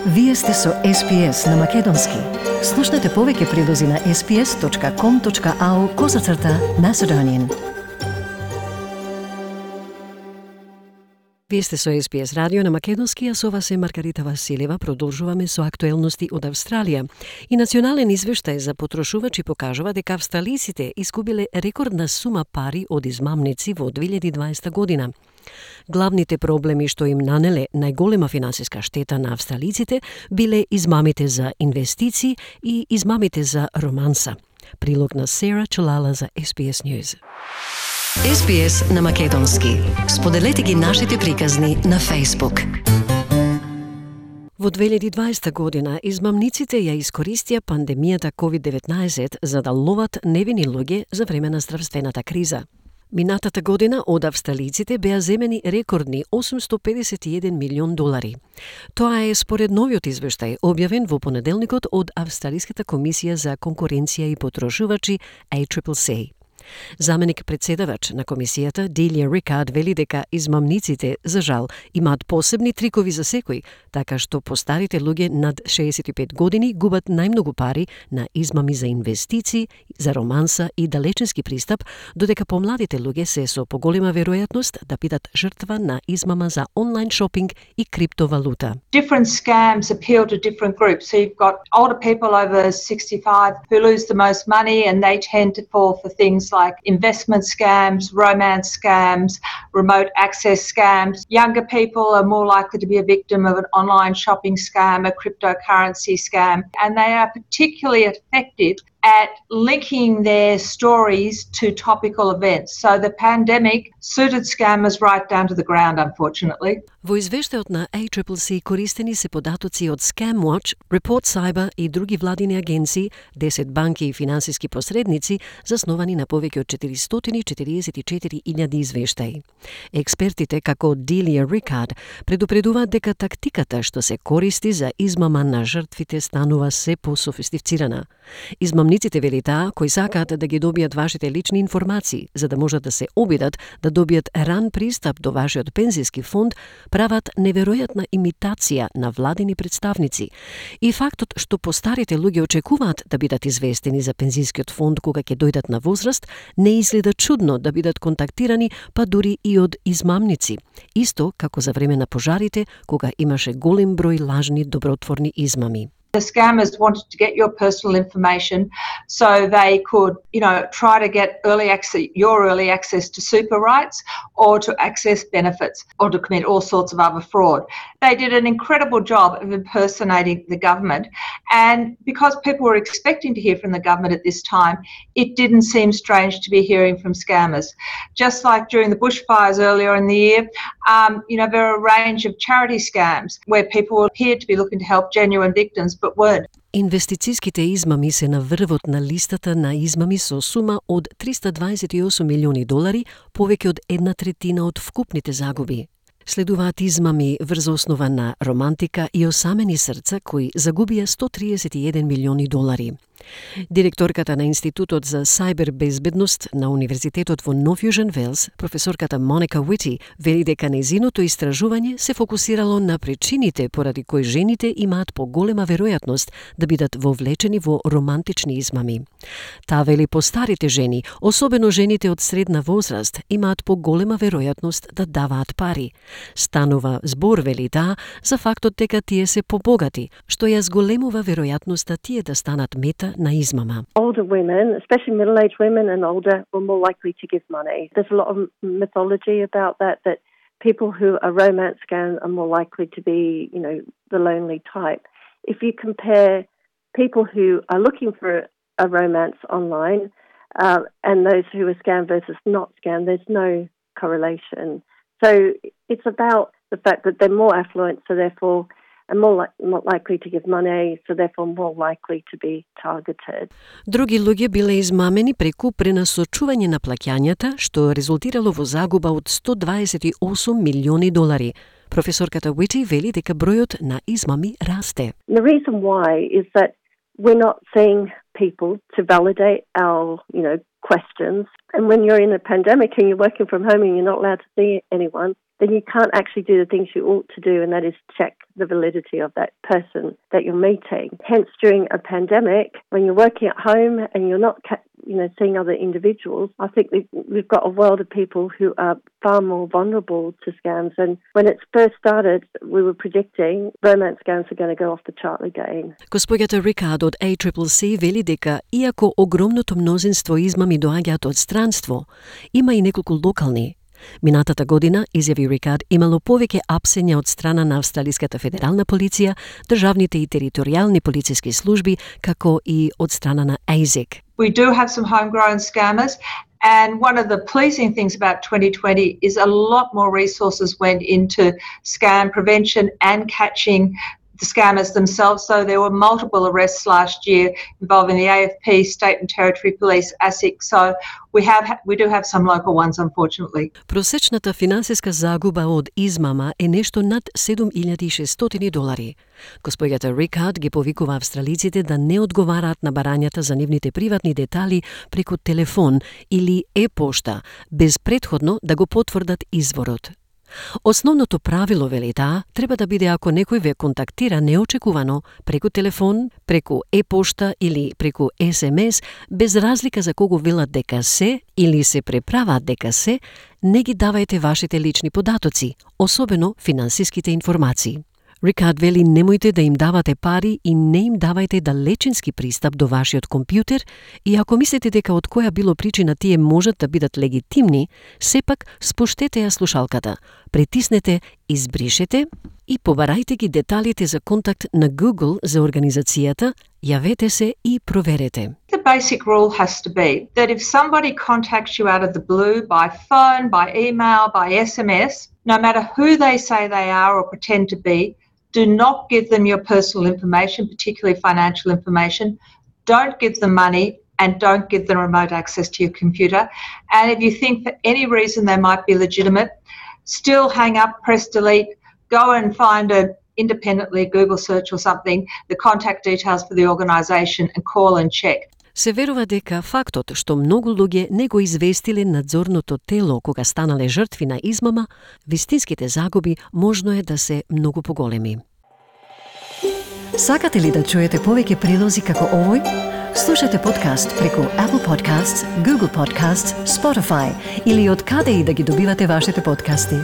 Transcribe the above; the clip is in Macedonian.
Вие сте со SPS на Македонски. Слушнете повеќе прилози на sps.com.au/Macedonian. Вие сте со SPS радио на Македонски, а со вас е Маргарита Василева. Продолжуваме со актуелности од Австралија. И национален извештај за потрошувачи покажува дека австралиците изгубиле рекордна сума пари од измамници во 2020 година. Главните проблеми што им нанеле најголема финансиска штета на австралиците биле измамите за инвестиции и измамите за романса. Прилог на Сера Чулала за SBS News. SBS на Македонски. Споделете ги нашите приказни на Facebook. Во 2020 година измамниците ја искористија пандемијата COVID-19 за да ловат невини луѓе за време на здравствената криза. Минатата година од австралиците беа земени рекордни $851 милион. Тоа е според новиот извештај објавен во понеделникот од Австралиската комисија за конкуренција и потрошувачи ACCC. Заменик председавач на комисијата Делија Рикард вели дека измамниците, за жал, имаат посебни трикови за секој, така што постарите луѓе над 65 години губат најмногу пари на измами за инвестиции, за романса и далеченски пристап, додека помладите луѓе се со поголема веројатност да бидат жртва на измама за онлайн шопинг и криптовалута. Different scams appeal to different groups. So you've got older people over 65 who lose the most money, and they tend to fall for things like investment scams, romance scams, remote access scams. Younger people are more likely to be a victim of an online shopping scam, a cryptocurrency scam, and they are particularly effective at linking their stories to topical events. So the pandemic suited scammers right down to the ground, unfortunately. Во извештајот на ACCC користени се податоци од ScamWatch, Report Cyber и други владини агенции, 10 банки и финансиски посредници, засновани на повеќе од 444.000 извештаи. Експертите, како Делија Рикард, предупредуваат дека тактиката што се користи за измама на жртвите станува се пософистицирана. Измамниците, вели таа, кои сакаат да ги добијат вашите лични информации, за да можат да се обидат да добијат ран пристап до вашиот пензиски фонд, прават неверојатна имитација на владини представници. И фактот што постарите луѓе очекуваат да бидат известени за пензискиот фонд кога ќе дојдат на возраст, не изгледа чудно да бидат контактирани, па дури и од измамници. Исто како за време на пожарите, кога имаше голем број лажни добротворни измами. The scammers wanted to get your personal information so they could, try to get your early access to super rights or to access benefits or to commit all sorts of other fraud. They did an incredible job of impersonating the government, and because people were expecting to hear from the government at this time, it didn't seem strange to be hearing from scammers. Just like during the bushfires earlier in the year, there are a range of charity scams where people appeared to be looking to help genuine victims but weren't. Инвестицијските измами се на врвот на листата на измами со сума од $328 милиони, повеќе од 1/3 од вкупните загуби. Следуваат измами врз основа на романтика и осамени срца кои загубија $131 милиони. Директорката на Институтот за сајбер безбедност на Универзитетот во Нов Јужен Велс, професорката Моника Уити, вели дека нејзиното истражување се фокусирало на причините поради кои жените имаат поголема веројатност да бидат вовлечени во романтични измами. Таа вели постарите жени, особено жените од средна возраст, имаат поголема веројатност да даваат пари. Станува збор, вели таа, за фактот дека тие се побогати, што ја зголемува веројатноста тие да станат мета на измама. Older women, especially middle-aged women and older, were more likely to give money. There's a lot of mythology about that people who are romance scam are more likely to be, the lonely type. If you compare people who are looking for a romance online and those who are scam versus not scam, there's no correlation. So it's about the fact that they're more affluent, so therefore and more likely to give money, so therefore more likely to be targeted. Други луѓе биле измамени преку пренасочување на плаќањата, што резултирало во загуба од $128 милиони. Професорката Уити вели дека бројот на измами расте. The reason why is that we're not seeing people to validate our, questions. And when you're in a pandemic and you're working from home and you're not allowed to see anyone, then you can't actually do the things you ought to do, and that is check the validity of that person that you're meeting. Hence, during a pandemic, when you're working at home and you're not seeing other individuals, I think we've got a world of people who are far more vulnerable to scams. And when it first started, we were predicting romance scams are going to go off the chart again. Госпоѓата Рикард од ACCC вели дека, иако огромното мнозинство измами доаѓаат од странство, има и неколку локални. Минатата година, изјави Рикард, имало повеќе апсења од страна на Австралиската федерална полиција, државните и територијални полициски служби, како и од страна на ASIC. We do have some homegrown scammers, and one of the pleasing things about 2020 is a lot more resources went into scam prevention and catching the scammers themselves. So there were multiple arrests last year involving the AFP, State and Territory Police, ASIC. So we do have some local ones, unfortunately. Просечната финансиска загуба од измама е нешто над $7,600. Госпоѓата Рикард ги повикува австралиците да не одговараат на барањата за нивните приватни детали преку телефон или e-пошта, без претходно да го потврдат изворот. Основното правило, вели таа, треба да биде ако некој ве контактира неочекувано преку телефон, преку e-пошта или преку SMS, без разлика за кого велат дека се или се преправаат дека се, не ги давајте вашите лични податоци, особено финансиските информации. Рикард вели немојте да им давате пари и не им давајте далечински пристап до вашиот компјутер и ако мислите дека од која било причина тие можат да бидат легитимни, сепак спуштете ја слушалката, притиснете избришете и побарајте ги деталите за контакт на Google за организацијата, јавете се и проверете. The basic rule has to be that if somebody contacts you out of the blue by phone, by email, by SMS, no matter who they say they are or pretend to be, do not give them your personal information, particularly financial information. Don't give them money and don't give them remote access to your computer. And if you think for any reason they might be legitimate, still hang up, press delete, go and find independently Google search or something, the contact details for the organisation and call and check. Се верува дека фактот што многу луѓе не го известиле надзорното тело кога станале жртви на измама, вистинските загуби можно е да се многу поголеми. Сакате ли да чуете повеќе прилози како овој? Слушате подкаст преку Apple Podcasts, Google Podcasts, Spotify или од каде и да ги добивате вашите подкасти.